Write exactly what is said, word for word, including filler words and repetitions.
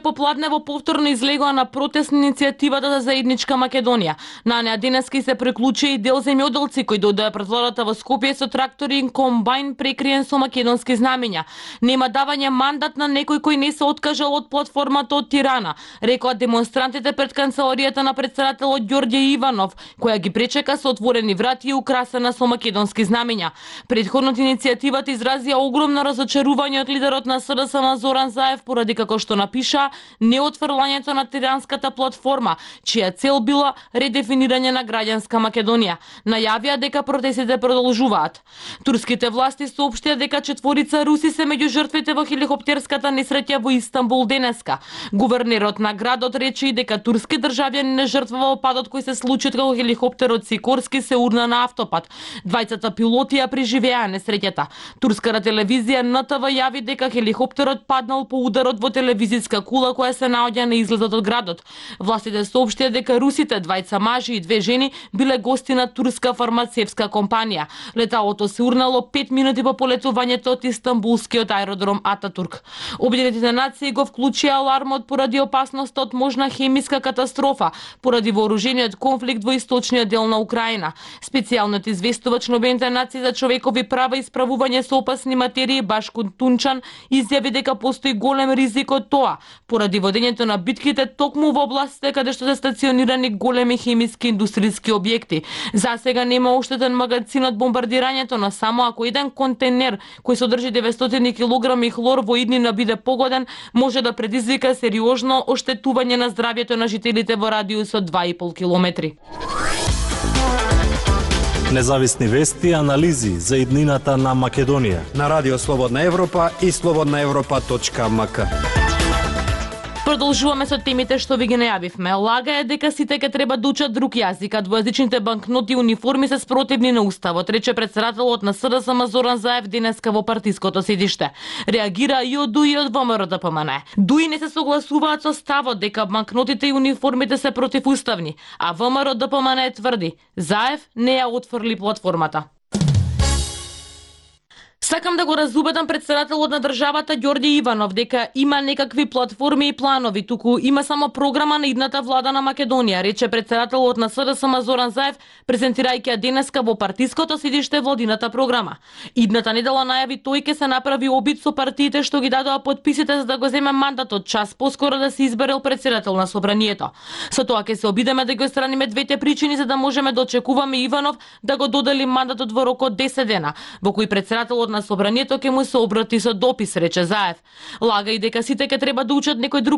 Попладнево повторно излегоа на протестна иницијативата за заедничка Македонија. На неа денеска се приклучи и дел земјоделци кои дојдоа пред владата во Скопје со трактори и комбајн прекриен со македонски знамиња. Нема давање мандат на некој кој не се откажал од платформата од Тирана, рекоа демонстрантите пред канцеларијата на претседателот Ѓорѓе Иванов, која ги пречека со отворени врати и украсена со македонски знамиња. Претходно иницијативата изразија огромно разочарување од лидерот на СДСМ Зоран Заев поради, како што напиша, неотфрлањето на тиранската платформа, чија цел била редефинирање на граѓанска Македонија. Најавија дека протестите продолжуваат. Турските власти соопштија дека четворица руси се меѓу жртвите во хеликоптерската несреќа во Истанбул денеска. Гувернерот на градот рече и дека турски државјани не жртвува во падот кој се случи кога хеликоптерот Сикорски се урна на автопат. Двајцата пилоти ја преживеа несреќата. Турската телевизија Н Т В јави дека хеликоптерот паднал по ударот во телевизиска кула која се наоѓа на излезот од градот. Властите соопштија дека русите, двајца мажи и две жени, биле гости на турска фармацевтска компанија. Леталото се урнало пет минути по полетувањето од истанбулскиот аеродром Ататурк. Обединетите нации го вклучија алармот поради опасноста од можна хемиска катастрофа, поради вооружениот конфликт во источниот дел на Украина. Специјалниот известувач на Обединетите нации за човекови права и справување со опасни материи Башко Тунчан изјави дека постои голем ризик од тоа, поради водењето на битките токму во областите каде што се стационирани големи хемиски индустријски објекти. За сега нема оштетен магазин од бомбардирањето, но само ако еден контейнер кој содржи деветстотини килограми хлор во иднина биде погоден, може да предизвика сериозно оштетување на здравјето на жителите во радиус од два и пол километри. Независни вести и анализи за иднината на Македонија на Радио Слободна Европа и слободна европа точка м к. Продолжуваме со темите што ви ги најавивме. Лага е дека сите ќе треба да учат друг јазик, а двојазичните банкноти и униформи се спротивни на уставот, рече претседателот на СДСМ Зоран Заев денеска во партиското седиште. Реагира и од ДУИ и од Во М Р Д П М Н. ДУИ не се согласуваат со ставот дека банкнотите и униформите се противуставни, а Во М Р Д П М Н тврди Заев не ја отфрли платформата. Сакам да го разубедам претседателот на државата Ѓорѓе Иванов дека има некакви платформи и планови, туку има само програма на идната влада на Македонија, рече претседателот на СДСМ Зоран Заев, презентирајќи ја денеска во партиското седиште владината програма. Идната недела најави тој ќе се направи обид со партиите што ги дадоа потписите за да го земе мандатот час поскоро да се изберел претседател на собранието. Со тоа ќе се обидеме да ги отстраниме двете причини за да можеме да очекуваме Иванов да го додели мандатот во рок од десет дена, во кој претседателот на собранието ќе му се обрати со допис, рече Заев. Лага и дека сите ќе треба да учат некој друг